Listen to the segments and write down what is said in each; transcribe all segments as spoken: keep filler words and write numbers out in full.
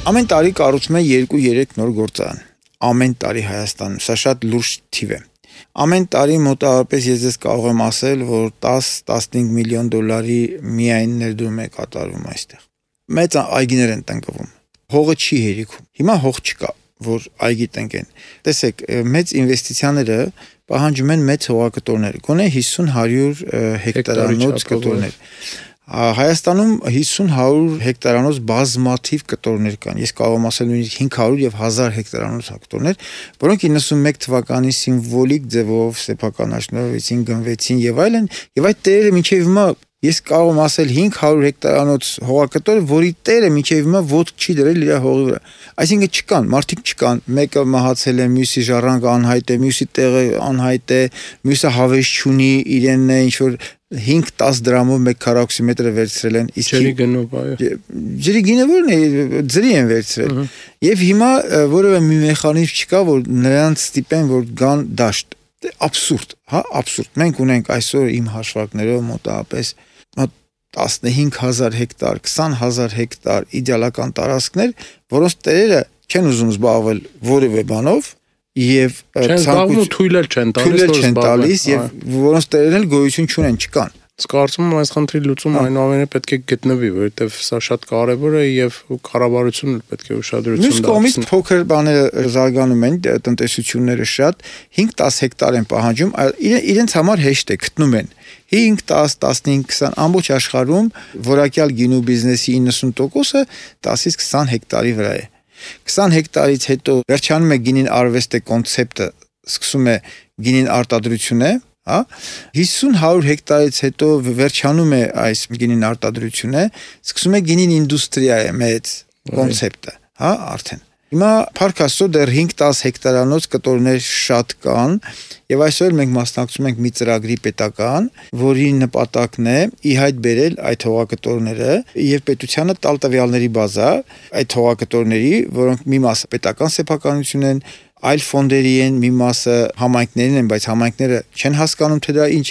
Ամեն տարի կառուցում են երկու երեք նոր գործարան։ Ամեն տարի Հայաստանում, սա շատ լուրջ թիվ է։ Ամեն տարի մոտավորապես ես ձեզ կարող եմ ասել, որ տաս-տասնհինգ միլիոն դոլարի միայն ներդրում է կատարվում այստեղ։ Մեծ այգիներ են տնկվում։ Հողը չի հերիքում։ Հիմա հող չկա, որ այգի տնկեն։ Տեսեք, մեծ ինվեստիցիաները պահանջում են մեծ հողակտորներ, գոնե հիսուն հարյուր հեկտարանոց կտորներ։ Հայաստանում հիսուն հարյուր հեկտարանոց բազմաթիվ կտորներ կան։ Ես կարող եմ ասել նույնիսկ հինգ հարյուր եւ հազար հեկտարանոց կտորներ, որոնք իննսունմեկ թվականի սիմվոլիկ ձևով սեփականաշնորհվեցին, գնվեցին եւ այլն, եւ այդ տերերը մինչեւ հիմա ես կարող եմ ասել հինգ հարյուր հեկտարանոց հողակտոր, որի տերը մինչեւ հիմա ոտք չի դրել իր հողի վրա։ Այսինքն չկան, մարդիկ չկան, մեկը մահացել է, մյուսի ժառանգը անհայտ է, մյուսի տեղը անհայտ է, մյուսը հավես չունի, իրենն է ինչ որ հինգ տաս դրամով մեկ քառակուսի մետրը վերցրել են, իսկ ջրի գնով, այո։ Ջրի գինը որն է, ձրի են վերցրել։ Եվ հիմա որևէ մի մեխանիզմ չկա, որ նրանց ստիպեն, որ գան դաշտ։ Աբսուրդ, հա, աբսուրդ։ Մենք ունենք այսօր իմ հաշվարկներով մոտավորապես տասնհինգ հազար հեկտար, քսան հազար հեկտար իդեալական տարածքներ, որոնց տերերը չեն ուզում զբաղվել որևէ բանով եւ ցանկություն թույլ չեն տալիս եւ որոնց տերերն էլ գոյություն չունեն, չկան։ Ես կարծում եմ այս խնդրի լուծումը այնուամենայնիվ պետք է գտնվի, որովհետեւ սա շատ կարեւոր է եւ կառավարությունն պետք է ուշադրություն դարձնի։ Մյուս կողմից փոքր բաները զարգանում են, տնտեսությունները շատ հինգ-տաս հեկտար են պահանջում, իրենց համար հեշտ է գտնում են։ հինգ, տաս, տասնհինգ, քսան ամբողջ աշխարհում որակյալ գինու բիզնեսի իննսուն տոկոսը տասից քսան հեկտարի վրա է։ քսան հեկտարից հետո վերջանում է գինին արվեստը կոնցեպտը, սկսում է գինին արտադրությունը, հա, հիսուն հարյուր հեկտարից հետո վերջանում է այս գինին արտադրությունը, սկսում է գինին ինդուստրիա է մեծ կոնցեպտը, հա, արդեն։ Հիմա փառք Աստծո դեռ հինգ-տաս հեկտարանոց կտորներ շատ կան եւ այսօր մենք մասնակցում ենք մի ծրագրի պետական, որի նպատակն է ի հայտ բերել այդ հողակտորները եւ պետությանը տալ տվյալների բազա այդ հողակտորների, որոնք մի մասը պետական սեփականություն են, այլ ֆոնդերի են, մի մասը համայնքներին են, բայց համայնքները չեն հասկանում թե դա ինչ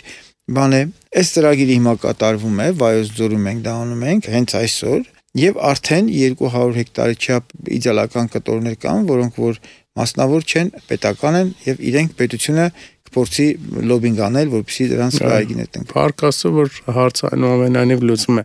բան է։ Այս ծրագիրը հիմա կատարվում է, Վայոց ձորում ենք դա անում ենք հենց այսօր։ Եվ արդեն երկու հարյուր հեկտարի չափ իդեալական կտորներ կան, որոնք որ մասնավոր չեն, պետական են եւ իրենք պետությունը կփորձի լոբինգ անել, որպեսզի դրանց այգիներ տնկեն։ Փառք Աստծո, որ հարցը այնուամենայնիվ լուծվում է։